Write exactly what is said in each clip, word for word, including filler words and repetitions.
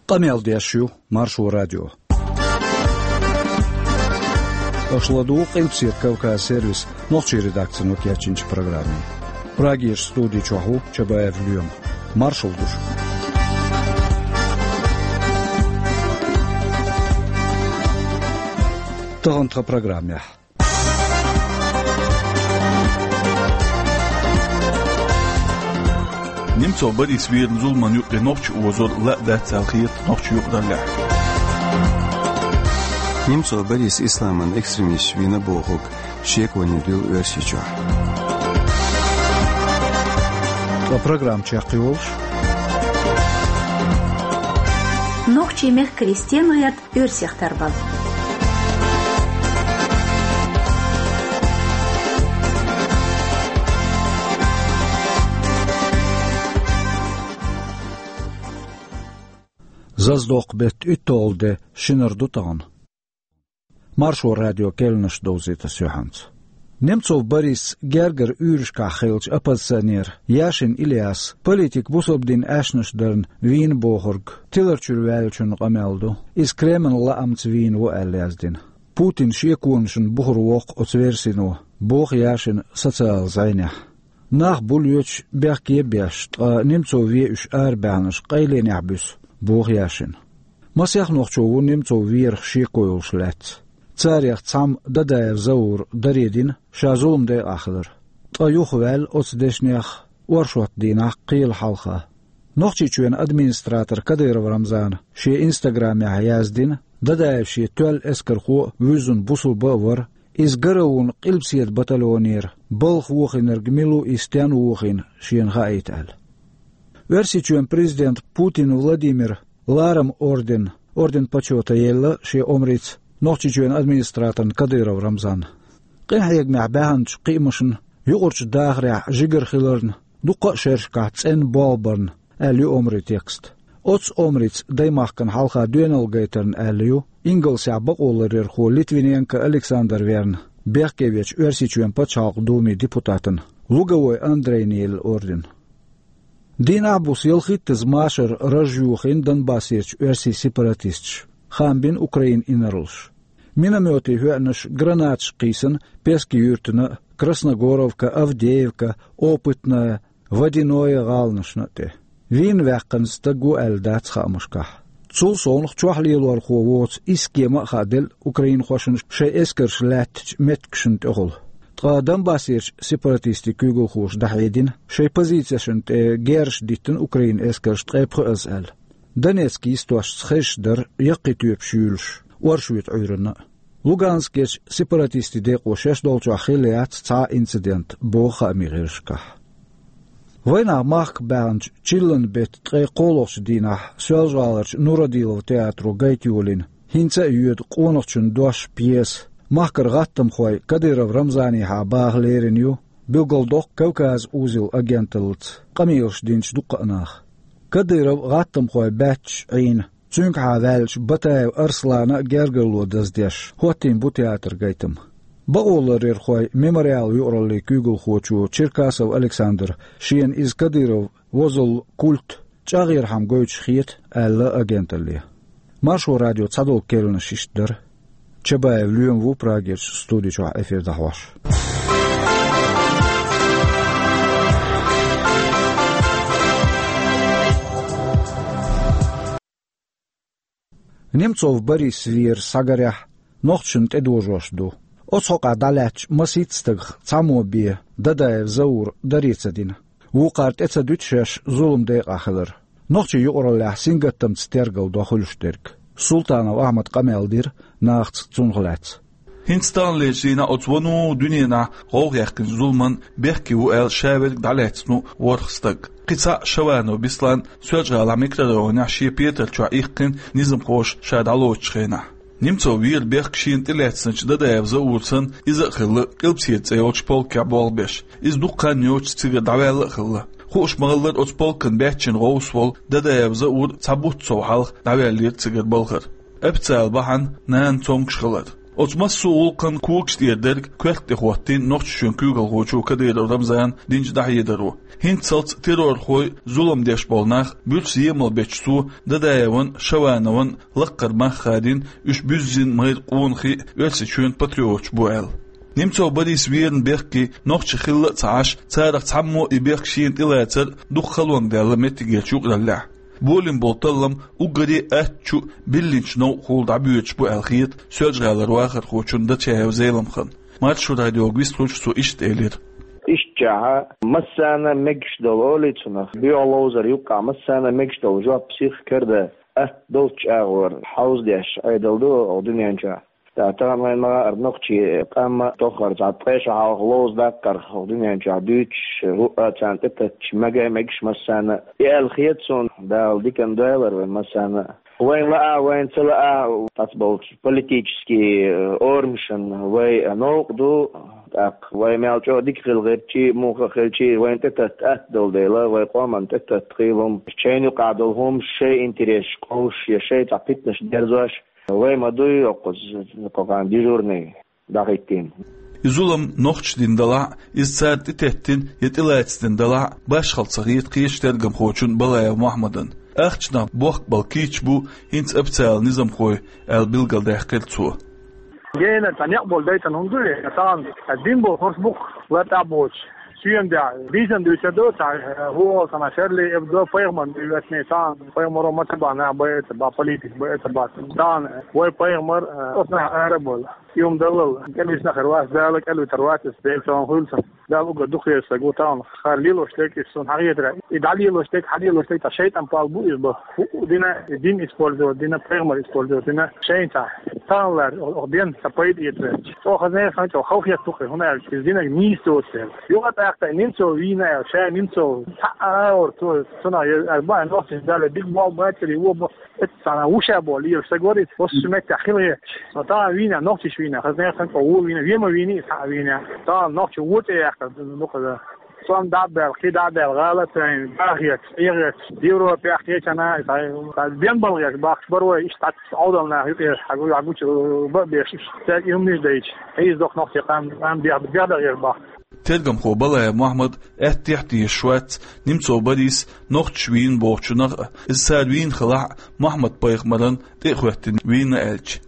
Къамел деш ю Маршо радио. Аша ладугӀу Къилбаседа Кавказ сервисан нохчийн редакцино кечйинчу программе. Прагерчу студи чохь ву Чабаев Лоьма. Маршалла ду шуьга. Тахана тхан программехь. Немцов Борис верна зуламан юккъе нохчий озор ла а дац аьлла хета нохчийн юкъараллехь. Немцов Борис исламан экстремисташ вийна бохург шеконе дуьллу Оьрсийчохь. Ткъа программа чекхйолуш: нохчийн мехкарий стенна гӀерта оьрсех тарбал. Зазадоккху беттан уьтталгӀа де, шинара ду тахана. Маршо радион керланаш довзуьйту ас юьхьанца. Немцов Борис гергара уьйрашкахь хиллачу оппозиционера Яшин Ильяса политик бусалба дин аьшнаш дарна вийна бохург тилар чуьра ваьллачунна къамел ду. Иза Кремлан лаамца вийна ву аьлла яздина. Путина шеконашна бухара воккху оцу версино, боху Яшина социалан зӀенехь. Нах бу лоьцуш бехке а беш, ткъа Немцов вен уьш арабаьхнарш къайленехь буьсу, боху Яшина. Масех нохчо ву Немцов верах шеко йолуш лаьцна. Царех цхьамма Дадаев Заура даре дина, ша зулам декъахь хилар. Ткъа юхаваьлла оцу дешнех оршот дийнахь кхелан хьалха. Нохчийчоьнан администратора Кадыров Рамзана шен инстаграмехь яздина, Дадаев шен тоьлла эскархо а, вуьззина бусалба а вара, иза гара а вуна Къилбаседа батальонера балха вохийнарг мила ву, и стенна вохийна шена хаийта аьлла. Оьрсийчоьнан президента Путин Владимира ларам орден, орден Почёта елла шен омрица Нохчийчоьнан администраторна Кадыров Рамзанна. Къинхьегамехь баьхначу кхиамашна юкъарчу дахарехь жигара хиларна, дуккха а шерашкахь цӀена болх барна аьлла ю омрин текст. Оцу омрица даймахкана хьалха доьналла гайтарна аьлла ю Ингалсехь бакъоларъярхо Литвиненко Александр верна, бехке вечу Оьрсийчоьнан Пачхьалкхан Думин депутатана Луговой Андрейна елла орден. Дийнахь а, буса ялхиттаза машар раж йохийна Донбассерчу оьрсийн сепаратисташа, хаам бина Украинан инарлаша. Миномётийн хӀоьънаш, гранаташ кхийсина Пески юьртана а, Красногоровка, Авдеевка, Опытная, Водяное гӀаланашна а тӀе. Вийна ваьккхина стаг ву аьлла дац хаамашкахь. Цул совнаха чохь лелорхо воцу Искема а хааделла украинхошна шайн эскарш лаьттачу меттигашна тӀехула. Ткъа Донбассерчу сепаратистийн куьйгалхоша дӀахьедина, шайн позицешна тӀе герзаш диттина Украинан эскарша ткъе пхоьазза аьлла. Донецк йистошца хезаш дара яккхий тоьпаш юьйлуш, оршотан Ӏуьйранна а. Луганскерчу сепаратистийн декъо шаьш долчохь хилла яц цхьа а инцидент, боху хаамийн гӀирсашкахь. Вайнах махка баьхначу чиллан беттан ткъе кхоалгӀачу дийнахь Соьлжа-ГӀаларчу Нурадилов театро гайта йолийна «ХӀинца а йоьду къонахчун дош» пьеса махкара гӀаттамхойн Кадыров Рамзанехьа баха лерина ю, билгалдоккху Кавказ узел агенталлаца къамелаш динчу дуккха а наха. Кадыров гӀаттамхойн баьчча Ӏийна, цуьнгахьа ваьллачу Батаев Арслана а гергарло даздеш, хӀоттийна бу театран гайтам. Бакъоларъярхойн «Мемориал» юкъараллин куьйгалхочо Черкасов Александра шена иза Кадыров возаллин культ чӀагӀъярхьама гойтуш хета, аьлла агенталле. Маршо радион цхьадолу керланаш иштта дара. Чабаев Лоьма ву Прагерчу студи чохь эфир дӀахьош. Немцов Борис вер схьагарехь, нохчашна тӀедожош ду. Оцу хьокъехь дӀалаьцначу масийтта стагах цхьаммо бен Дадаев Заура даре ца дина. Вукхара тӀе ца дуьту шаьш зулам декъахь хилар. Нохчийн юкъараллехь сингаттамца тергал до хуьлуш дерг. Султанов Ахьмада къамел дира нахаца цунах лаьцна. ХӀинца таханлерчу дийнахь оцу вуно дуьненахь гӀовгӀа яьккхинчу зуламан бехке ву аьлла ша верг дӀалаьцна ву ворхӀ стаг. Кхин цхьаъ, Шаванов Беслан, Соьлжа-ГӀалахь микрорайонехь шен петарчохь ихкина низамхоша ша дӀалоцучу хенахь. Немцов вера бехк шена тӀелаьцначу Дадаев Заура санна, иза а хилла Къилбаседа цӀе йолчу полкехь болх беш. Иза дукха хан йоцуш цигара дӀаваьлла а хилла. Хууш ма-хиллара, оцу полкан баьччина гӀовс волу Дадаев Заур цхьа бутт сов хьалха дӀаваьллера цигара балхара. Официалан бахьана нана цомгуш хилар. Оцу массо а гӀуллакхан когаш тӀера дерг коьрта тӀе хӀоттийна Нохчийчоьнан куьйгалхочо Кадыров Рамзана динчу дӀахьедаро. ХӀинццалц террорхой, зулам деш болу нах буьрса емал бечу цо Дадаеван, Шаванован лаккхара мах хадийна, уьш буьззина майра къонахий а, Оьрсийчоьнан патриоташ бу аьлла. Немцов Борис верна бехке нохчий хилла а ца Ӏаш, царах цхьаммо а и бехк шена тӀелацар дукха халонга даьлла меттигерчу юкъараллехь. Болийна болу таллам уггаре а аттачу а, биллинчу новкъахула дӀабоьдуш бу аьлла хета Соьлжа-ГӀалара вахархочун Дачаев Зеламхана. Маршо радиога вистхуьлуш цо иштта элира: Иштта чохь массарна а мегаш долу, олий цунах, боьха ловзар юккъехь массарна а мегаш долу жоп сиха карадан атта долчу агӀор хьовзадеш Ӏедал ду оха дуьнен чохь. Ткъа тахана вайн ма-, ара нохчий къам а тоххара цхьа ткъе шо хьалха ловза даккхарх оха дуьнен чохь дуьйцуш, хӀуъа а царна тӀетатташ мега а мегаш массарна а. И аьлла хета суна, Дала диканна дойла вайн массарна а. Вайн лаахь а, вайн ца лаахь а, цхьацца болчу политический, э, орамашна вай новкъа ду, тӀаккха вай мел чӀогӀа дика хила гӀертчий, муха а хилчий, вайн тӀетатта атта долу дела, вай къоман тӀетатта хила хӀума, шайна юкъахь долу хӀумаш, шайн интересаш къовсуш я шайн цхьа питанаш дерзош, вай ма дуй, оккхуза кху-, кху-, дежурный дӀахӀиттийна. И зулам нохчаша дина далахь а, иза цара тӀететтина я тӀелаьцна дина далахь а, башхалла ца хета кхечу тергамхочун Балаев Мохьмадан. Ахчанах бохкабала кийча бу хӀинца официалан низамхой, аьлла билгалдаьккхира цо. Генара цхьа некъ болу дайтина хӀума ду и, тахана дина болу хӀорш бу-кх лартӀахь боцуш. Соьман дехьа, дийцина дуьйцур ду, цхьа, э, вогӀу санна, Шарли Эбдо пайхамарна дуьйцуш, тахана пайхамаро ма ца бахь, нах байа ца бахь, политик байа ца бахь. Тахана вай пайхамар, э, оцу нах ара а бовла. И хӀума даллал, кӀелвисна хир вац, Дала кӀелвитар вац, иза Делан цунах хуьлу сан. Дала уггар дукха веза стаг ву тахана, хӀара лелош дерг иза суна хьахетарехь. И дӀалелош дерг, хьалелош дерг, цхьа шайтӀан пал бу иза бан. ХӀуъа дина, дин использовать дина, пайхамар использовать дина, шайна цхьа. Тахана лаьара, оха ден цхьа пайда эцарехь. Оха хаза нехан чӀогӀа халахетта ву-кх, хӀунда аьлча иза динарг нийса доцу дела. Юха а тӀаккха тӀе Немцов вийна аьлла, ша Немцов цхьа а ара цо, цунах ер, ара бан нохчийн Дала дика болх бацаре, вон бо. Эццахь вуша боху лелаш стаг вара иза, оцу меттехь хила гӀерташ. Но тахана вийна, нохчаш вийна, хаза нехан чӀогӀа вон вийна, вен ма вийна иза, цхьаъ а вийна. Тахана нохчо вон цӀе яьккхина дукхаза. Цом дӀа а баьлла, кхин дӀа а баьлла, гӀала а тайна, бахеташ, Ӏехеташ, Европехь кхечанхьа, цхьа бен балгӀеш бахкаш бара вай, иштта цхьацца Ӏовдал нах юкъера хьагу, хьагучу бан а беш, цаьрга и хӀуманаш дайча, хьийза доккха нохчийн къам, къам бех-, бехдагӀеш бахка. Тергамхо Балаев Мохьмад аьттехьа тешаш вац Немцов Борис нохчаш вийна бохучунах а, иза цара вийна хилахь а, Мохьмад-пайхамарна тӀе а хӀоьттина вийна аьлча.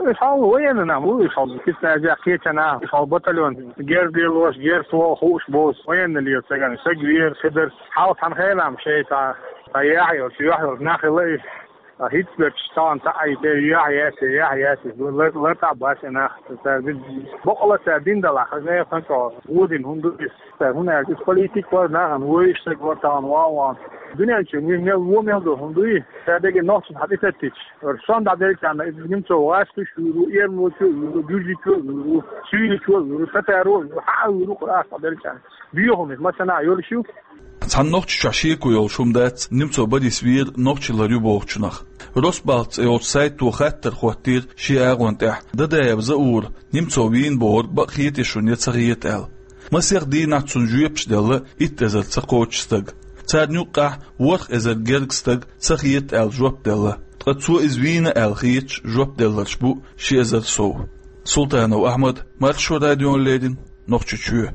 Уьш хьалха военный нах бу, уьш хьалха спецназех кхечанхьа, уьш хьалха батальон, герз лелош, герз хууш болуш, военный лела стагана, стаг вер, хи дара, хьалха цхьана хенахь шайн цхьа, цхьа яхь йолчу, юьхь йолчу нах хилла и. Ткъа хӀинца берш тахана цхьаъ а и тӀе яхь яц, яхь яц, лар-, лартӀахь бац и нах, цара дина, бакъала цара дина далахь, хаза нехан чӀогӀа вон дина хӀума ду иза. Цара хӀунда аьлча иза политик вара, нахана вевзаш стаг вара тахана ван а ван. Дуьнен чу мел, мел вон мел ду хӀума дуй, цара дерриг нохчашна хьан тӀе теттича. Ара сонта дӀаделлачарна иза Немцов гӀазкхичо а вуьйр ву, эрмалочо а вуьйр ву, гуьржичо а вуьйр ву, суьйличо а вуьйр ву, татаро а вуьйр ву, хьан а вуьйр ву, къарахь дӀаделлачарна. Боьха хӀума иза, массанхьа йолуш ю. Цхьана Нохчийчохь шеко йолуш хӀума дац Немцов Борис вер нохчи лар ю бохучунах. Росбалт цӀе йолчу сайто хаттар хӀоттийра шен агӀон тӀехь Дадаев Заура, Немцов вийна бохург бакъ хетий шуна я ца хета аьлла. Масех дийнахь цунна жоьпаш делла итт эзар ца кхоччу стага. Царна юккъехь ворхӀ эзар герга стаг ца хета аьлла жоп делла. Ткъа цо иза вийна аьлла хеташ жоп делларш бу ши эзар сов. Султанов Ахьмад, Маршо радиона леррина, Нохчийчоь.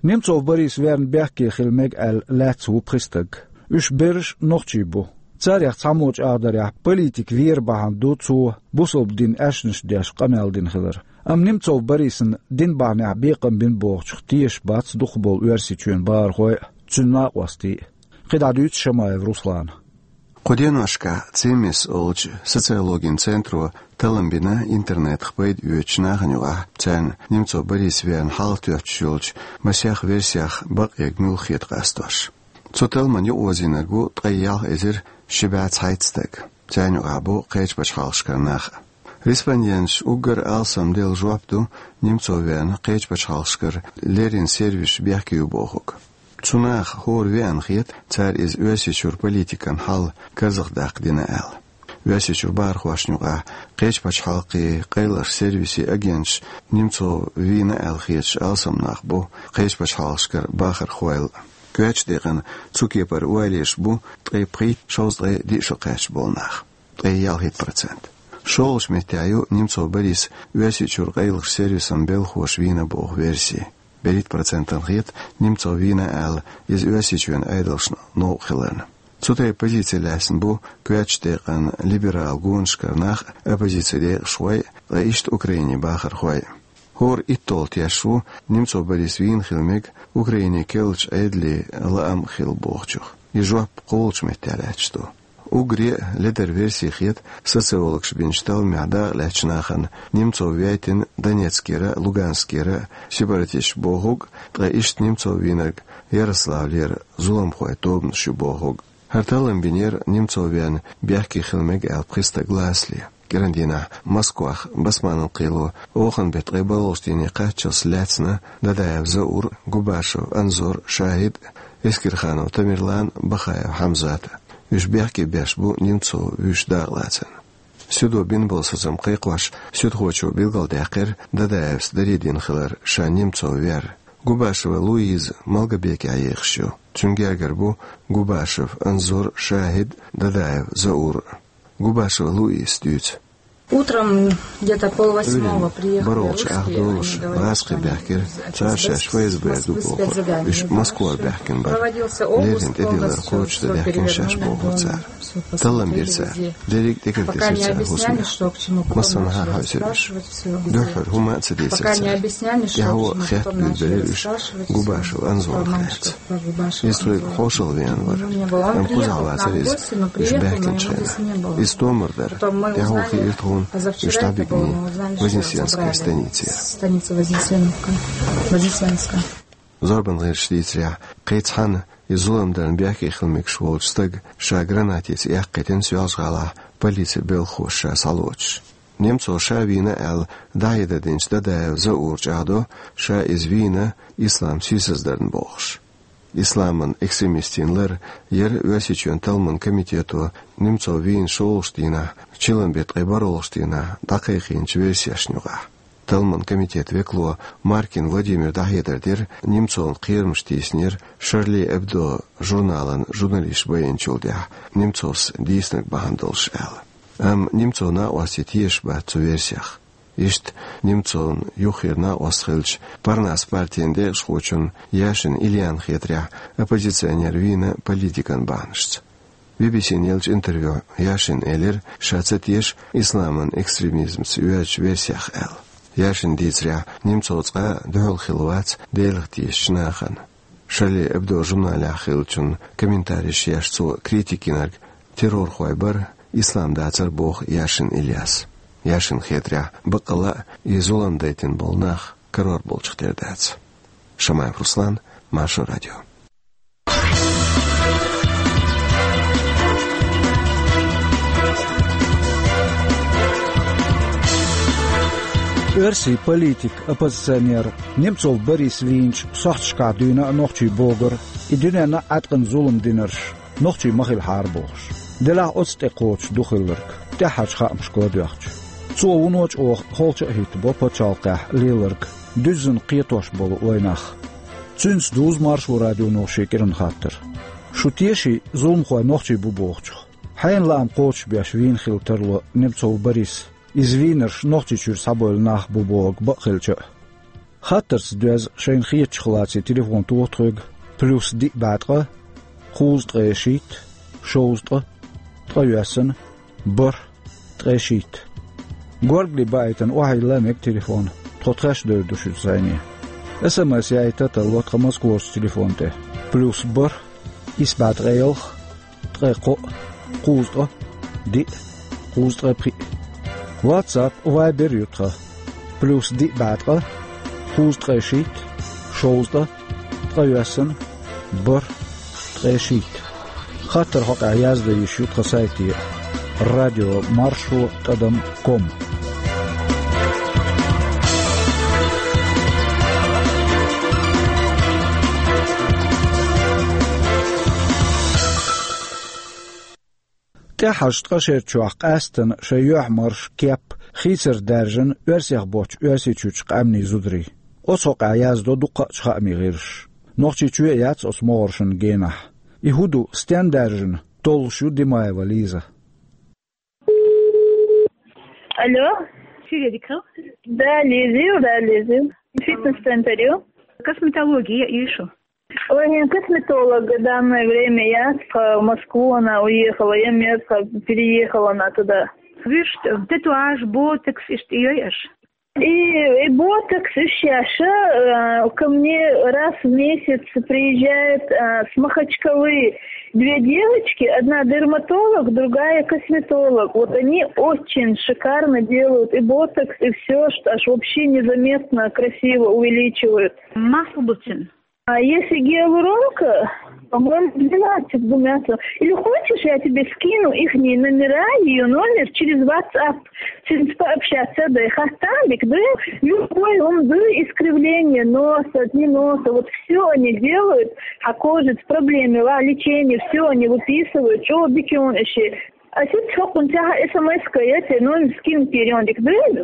Немцов Борис верна бехке хила мега аьлла лаьцна ву пхи стаг. Уьш берриш нохчий бу. Царех цхьаммо чӀагӀдарехь, политик вер бахьана ду цо бусалба дин аьшнаш деш къамел дина хилар. Амма Немцов Борисна дин бахьанехь бекхам бина бохучух тешаш бац дукхахболу Оьрсийчоьнан бахархой а, цуьнан накъостий а. КхидӀа дуьйцу Шамаев Руслана. Кху деношкахь ЦИМИС олучу социологин центро таллам бина интернетах пайда оьцучу нахана юкъахь, царна Немцов Борис верна хьалатоьттуш йолчу масех версех бакъ ерг муьлха хета къастош. Цу талламна юкъаозийнарг ву ткъе ялх эзар ши бӀе цхьайтта стаг. Царна юкъахь бу кхечу пачхьалкхашкара нах а. Респонденташа уггар алсамделла жоп ду Немцов верна кхечу пачхьалкхашкара леррина сервисаш бехке ю бохург. Цу наха хӀора веана хета, цара иза Оьрсийчуьра политикан хьал карзахдаккха дина аьлла. Оьрсийчуьра бахархошна юкъахь кхечу пачхьалкхийн къайлахчу сервисийн агенташ Немцов вийна аьлла хеташ алсам нах бу кхечу пачхьалкхашкара бахархойла. Коьртачу декъана цу кепара ойла еш бу ткъе пхийтта, шовзткъе диъ шо кхаьчна болу нах, ткъе ялхитта процент. ШолгӀачу меттехь ю Немцов Борис Оьрсийчуьра къайлахчу сервисан белхахоша вийна боху верси. БерхӀитта процентана хета Немцов вийна аьлла, иза Оьрсийчоьнан Ӏедалшна новкъа хиларна. Цу тайпа позици лаьцна бу коьртачу декъан либерал гонашкара нах, оппозицин декъашхой, ткъа иштта Украинин бахархой. ХӀора итталгӀа теш ву Немцов Борис вийна хила мега Украинин керлачу Ӏедалийн лаам хилла бохучух. И жоп кхоалгӀачу меттехь лаьтташ ду. Уггаре а ледара верси хета социологаша бинчу талламехь дакъалаьцначу нахана, Немцов вейтина Донецкера, Луганскера сепаратисташ бохург, ткъа иштта Немцов вийнарг Ярославлера зуламхойн тобанаш ю бохург. ХӀара таллам бинера Немцов веана бехке хила мега аьлла пхи стаг лацале. КӀиран дийнахь Москвахь Басманан кхело оханан беттан ткъе бархӀалгӀачу дийне кхаччалц лаьцна Дадаев Заур, Губашев Анзор, Шахид, Эскерханов Тамерлан, Бахаев Хьамзат. Уьш бехке беш бу Немцов вуьйш дакъалацарна. Суьдо бина болу сацам кхайкхош, суьдхочо билгалдаьккхира Дадаевс даре дина хилар, ша Немцов вер. Губашева Луиза Малгобекехь ехаш ю. Цуьнан гергара бу Губашев Анзор, Шахид, Дадаев Заур. Губашева Луизас дуьйцу. Утром где-то полвосьмого приехали русские, они говорят, что они из спецзадания. Проводился обыск, он всё перевернули, дом, всё посмотрели везде. Пока не объясняли, что к чему подобное. Таллам бира цара. Дерриг а тӀекхийтира цара хӀусамаш. Массанхьа а хьаьвсира уьш. Дуьххьара хӀума а ца дийцира цара. ТӀаьхьо хетта буьйлабелира уьш Губашев Анзорах лаьцна. Иза тхоьга хьошалла веана вара. Амма кхузахь вацара иза уьш баьхкинчу хенахь. Иза томар дара. ТӀаьхьо хиира тхуна уьш дӀабигни Вознесенскан станицера. Станица Вознесеновка. Вознесенская. Зорбан гӀирсаша дийцарехь, кхин цхьана и зулам дарна бехке хила мегаш волчу стага ша гранатица эккхийтина Соьлжа-ГӀалахь полицин белхахоша ша схьалоцуш. Немцов ша вийна аьлла дӀахьедар динчу Дадаев Заура чӀагӀдо, ша иза вийна ислам сийсаздарна бохуш. Исламан экстремистийн лар яра Оьрсийчоьнан талламан комитето Немцов вийна шолгӀачу дийнахь, чиллан беттан ткъе бархӀалгӀачу дийнахь дӀакхайкхийначу версешна юкъахь. Талламан комитетан векало Маркин Владимира дӀахьедар дира, Немцовна кхерамаш тийсинера Шарли Эбдо журналан журналисташ байинчул тӀаьхьа Немцовс дийцинарг бахьана долуш аьлла. Амма Немцовн накъостий тешаш бац цу версех. Иштта Немцовн юххера накъост хиллачу Парнас партин декъашхочунна Яшин Ильяна хетарехь, оппозиционер вийна политикан бахьанашца. Би-би-сина еллачу интервьюхь Яшина элира, ша ца теша исламан экстремизмца йоьзначу версех аьлла. Яшина дийцарехь, Немцов цкъа а дуьхьал хилла вац Делах тешачу нахана. Шарли Эбдо журналехь хиллачун комментареш еш цо критика йинарг террорхой бара, ислам дацара боху Яшин Ильяс. Яшина хетарехь, баккъалла а и зулам дайтина болу нах карор болчух тера дац. Шамаев Руслан, Маршо радио. Оьрсийн политик, оппозиционер Немцов Борис вийначу сохьташкахь дуьйна а нохчий богура, и дуьненна а Ӏаткъана зулам динарш нохчий ма хилахьара бохуш. Делахь оцу тӀе кхочуш ду хилларг, тӀаьххьарчу хаамашка доьхча. Цо вуно чӀогӀа холча а хӀиттабо пачхьалкхехь леларг, дуьззина кхетош болу вайнах. Цуьнца дузу Маршо радионо шен кӀиран хаттар. Шу теший зуламхой нохчий бу бохучух? Хьенан лаам кхочушбеш вийна хила тарло Немцов Борис, иза вийнарш Нохчийчуьра схьабевлла нах бу бохург бакъ хилча а? Хаттарца доьзна шайна хетачух лаций телефон тоха тхоьга: плюс диъ бӀе ткъа, кхузткъе шийтта, шовзткъа, ткъайоьсна, бархӀ, ткъе шийтта. Горгали баийтина охьайилла мега телефон, тхо тхаьш девр ду шуьца зӀене. СМС яийта а тарло тхан Москварчу телефон тӀе: плюс бархӀ, исс бӀе ткъе ялх, ткъе кхоъ, кхузткъа, диъ, кхузткъе пхиъ. WhatsApp, Viber ю тхан: плюс диъ бӀе ткъа, кхузткъе шийтта, шовзткъа, ткъайоьсна, бархӀ, ткъе шийтта. Хаттар хьокъехь яздан йиш ю тхан сайте: радио маршо тӀадам ком. ТӀаьххьарчу ткъа шерчохь къаьсттина шайн юьхь-марш, кеп, хийцар даьржина Оьрсех боцчу Оьрсийчуьрчу къаьмнийн зударийн. Оцу хьокъехь яздо дуккхаъчу хаамийн гӀирсаша. Нохчийчоь а яц оцу могӀаршна генахь. И хӀун ду, стенна даьржина, толлуш ю Димаева Лиза. Алло. Сире дикал? Да, лезил, да, лезил. Фитнес-центр ю. Косметология ишу. Ой, не косметолог в данное время я в Москву, она уехала, я место переехала она туда. Виш, татуаж, ботокс, ишт йой аш? И, и ботокс, и сейчас, э, ко мне раз в месяц приезжает, э, с Махачкалы две девочки, одна дерматолог, другая косметолог. Вот они очень шикарно делают и ботокс, и все, что аж вообще незаметно красиво увеличивают. Махлбутин. А если гиалуронка, по-моему, двенадцать гумятов. Или хочешь, я тебе скину ихние номера, ее номер через WhatsApp. Сен пообщаться, да, и хаттам бик, да, любой умды, искривление носа, не носа, вот все они делают, а кожа с проблемами, ва, лечение, все они выписывают, что бикион ещё. А сейчас хокун тяха СМС-ка, я тебе номер скину, перейдём, да?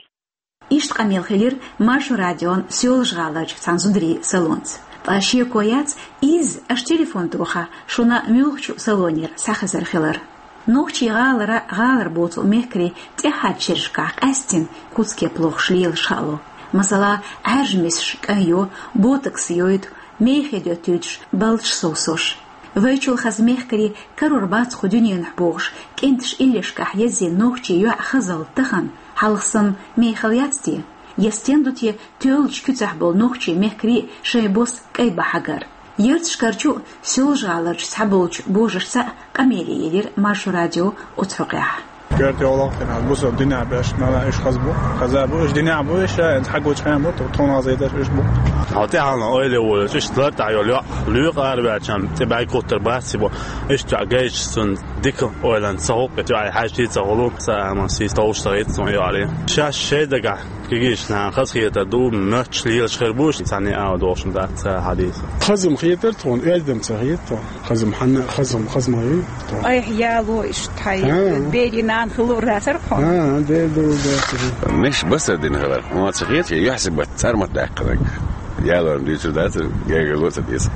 Иштта къамел хилира Маршо радион Соьлжа-ГӀаларчу цхьана зударийн салонца. Ткъа шеко яц, иза аша телефон тоха, шуна муьлххачу салонера схьахезар хилар. Нохчийн гӀалара, гӀалара боцу мехкарийн тӀаьхьарчу шерашкахь къаьстина куц-кеп лохуш лелаш хаало. Масала, Ӏаьржа мисаш кӀайн йо, ботокс йойту, мехе доьттуьйтуш балдаш совсош. Вайчул хаза мехкарий карор бац кху дуьненахь бохуш, кӀенташ иллешкахь еззина нохчийн йоӀ хазалла тахана хьалха санна мехала яц те? Я стен ду те тоьллачу куьцахь болу нохчийн мехкарий шайн бос кӀай бан хьагар? Ярташкарчу а, Соьлжа-ГӀаларчу цхьаболчу божаршца а къамеле елира Маршо радио оцу хьокъехь. Коьрта йолу хӀара бусалба динехь беш, нана, уьш хаза бу. Хаза бу, уьш динехь бу, уьш ша, хьан гучу хьан бу, тхуна хаза йиташ уьш бу. Хьо тӀаьхьална ойла волуш, уьш лар тӀехь йолу йоӀ, лоьху араваьлча, цӀе бӀаьрг кхуттур бац ци бу. Уьш чохь гайча цунна дика ойланца ца гӀуллакх, чохь хьаьжчий ца гӀуллакх, ца ама сийс товш ца гӀиц цунна йоӀарий. Шаьш шайн дагахь кегийчу нахана хазахетар ду, моьттуш лелаш хир бу, цхьанне а долуш дац ца хьадийса. Хазам хетар тхуна, оьздам ца хета тхуна. Хазам хьанна, хазам, хазам хьан ю? Айхьа яло иштта хьай, а, бери нана хилур дацара хьуна. А, дер ду, дацара. Меш басар дина хилар. Ма ца хета, юьхьси бат цӀармат даьккхинарг. Ялорна дуьйцур дацара, гергарло ца деза.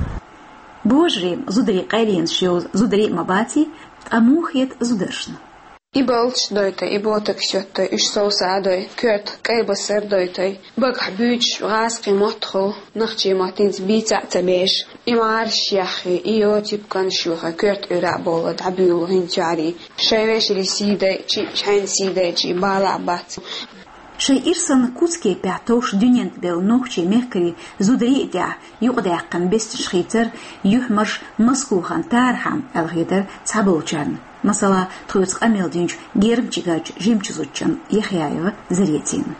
Божарийн, зударийн къайленаш йолу зударий а ма баций, ткъа муха хета зударшна? И балдаш дойту, и ботокс йотту, уьш совса а дой, коьрта кӀай басар дойту, багахь буьйцуш гӀазкхийн мотт хуьлу, нохчийн маттаца бийца а ца беш, и марш яххи, и йо типканаш юха, коьрта Ӏуьйра а бовла дӀабуьйлу хӀинца юьхьарий, шайн вешаре сий дайчи, шайна сий дайчи бала а бац. Шайн ирсанна куц-кепехь товш дуьнен тӀе белла нохчийн мехкарий зударий а тӀехь юкъадаьккхина бесташ хийцар, юьхьмарш маскухана тархьама аьлла хетара цхьаболчарна. Масала, тхоьца къамел динчу гермчигарчу жимачу зудчун Яхъяева Заретина.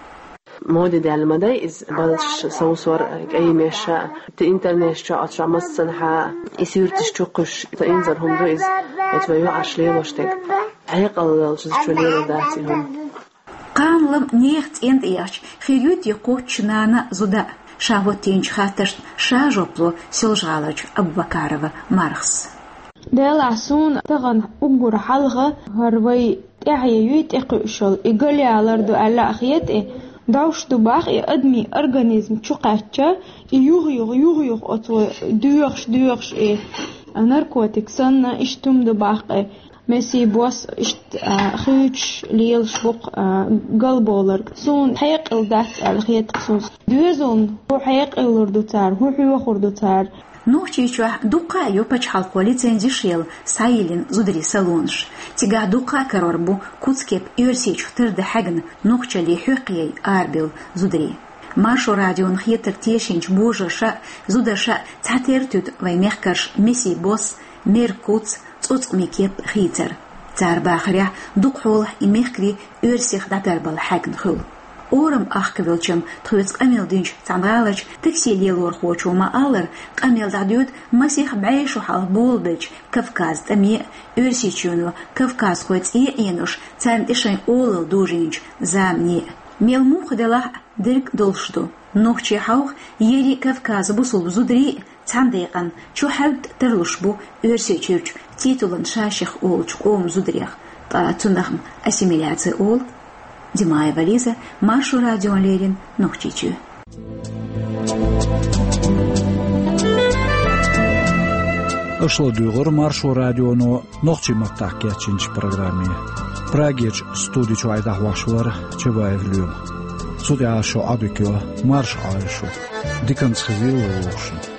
Моде даьлла ма дай иза балдаш совсор, кӀай меш а, те интернеташ чохь оцу чохь массанхьа и суьрташ чу кхуьссуш, ца инзар хӀума ду иза, оцу вай юкъаш лелош дерг. Хьекъал лелча чу лело дац и хӀума. Кхана лам нехан цӀен тӀе яхча, хир ю те кхоччуш нана а, зуда а? Ша хӀоттийначу хаттаршна ша жоп ло Соьлжа-ГӀаларчу Абубакарова Мархас. Делахь суна тахана уггар хьалха хӀара вай тӀаьхье юй тӀекхуьуш йолу, и галъялар ду аьлла а хета, и довш ду бах, и адамийн организм чу кхаьчча, и юха-юха, юха-юха оцо доьхуш, доьхуш, и наркотик санна, иштта хӀума ду бах, и. Месий бос иштта, а, хуьйцуш лелаш бу-кх, а, галбовларг. Суна хьекъал дац аьлла хета-кх суна. Доьзална хӀун хьекъалур ду цара, хӀун хьоьхур ду цара? Нохчийчохь дуккха а ю пачхьалкхо лицензеш йолу схьайиллина зударийн салонаш. Цигахь дуккха а карор бу куц-кеп Оьрсийчух тардан хьаьгна нохчаллин хьоькхъе арабевлла зударий. Маршо радиона хетарг тешийначу божарша а, зударша а цхьатерра туьду вайн мехкарша месий бос, мер куц, цӀоцкъаме кеп хийцар. Цара бахарехь, дукха хьолахь и мехкарий оьрсех дӀатарбала хьаьгна хуьлу. Орам ахка велчам тхоьца къамел динчу цхьана гӀаларчу такси лелорхочо ма-аллара, къамел дӀадоьду масех бӀе шо хьалха болабеллачу Кавказан тӀаме а, Оьрсийчоьно кавказхойн цӀе а Ӏенош, царна тӀе шайн олалла дожийначу замане а. Мел муха делахь а, дерг долуш ду. Нохчийн хьовха, ерриг Кавказан бусулба зударий а цхьана декъана чу хьаьвда тарлуш бу Оьрсийчуьрчу титулан шашех олучу къоман зударех, ткъа цунах-м ассимиляция олу. Димаева Лиза, Маршо радиона леррина, Нохчийчоь. Аша ладугӀура Маршо радионо нохчийн маттахь кечйинчу программе. Прагерчу студи чохь и дӀахьош вара Чабаев Лоьма. Цу тӀехь шун Ӏадика йо марша Ӏойла шу. Диканца хезийла вовшашна.